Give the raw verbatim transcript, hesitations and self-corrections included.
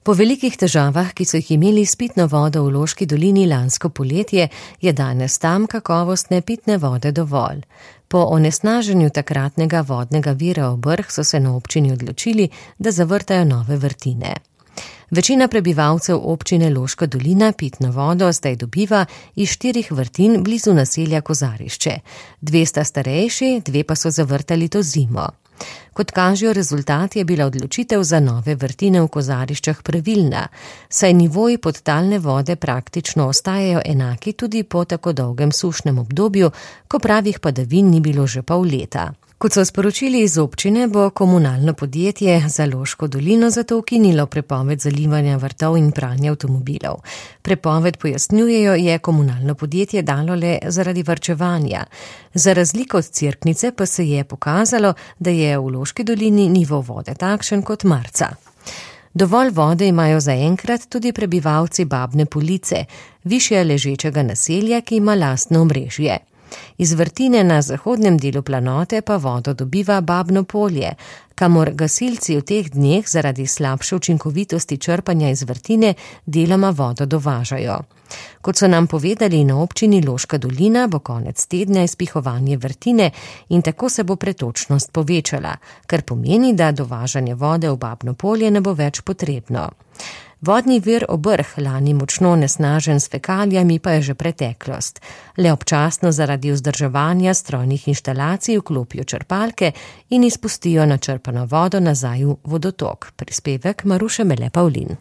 Po velikih težavah, ki so jih imeli s pitno vodo v Loški dolini lansko poletje, je danes tam kakovostne pitne vode dovolj. Po onesnaženju takratnega vodnega vira Obrh so se na občini odločili, da zavrtajo nove vrtine. Večina prebivalcev občine Loška dolina pitno vodo zdaj dobiva iz štirih vrtin blizu naselja Kozarišče. Dve sta starejši, dve pa so zavrtali to zimo. Kot kažejo rezultati, je bila odločitev za nove vrtine v Kozariščah pravilna, saj nivoji podtalne vode praktično ostajajo enaki tudi po tako dolgem sušnem obdobju, ko pravih padavin ni bilo že pol leta. Kot so sporočili iz občine, bo komunalno podjetje za Loško dolino zato ukinilo prepoved zalivanja vrtov in pranja avtomobilov. Prepoved, pojasnjujejo, je komunalno podjetje dalo le zaradi varčevanja. Za razliko od Cerknice pa se je pokazalo, da je v Loški dolini nivo vode takšen kot marca. Dovolj vode imajo zaenkrat tudi prebivalci Babne Police, višje ležečega naselja, ki ima lastno omrežje. Iz vrtine na zahodnem delu planote pa vodo dobiva Babno Polje, kamor gasilci v teh dneh zaradi slabše učinkovitosti črpanja iz vrtine deloma vodo dovažajo. Kot so nam povedali na občini Loška dolina, bo konec tedna izpihovanje vrtine in tako se bo pretočnost povečala, kar pomeni, da dovažanje vode v Babno Polje ne bo več potrebno. Vodni vir Obrh, lani močno onesnažen s fekalijami, pa je že preteklost. Le občasno zaradi vzdrževanja strojnih inštalacij vklopijo črpalke in izpustijo načrpano vodo nazaj v vodotok. Prispevek Maruše Mele Pavlin.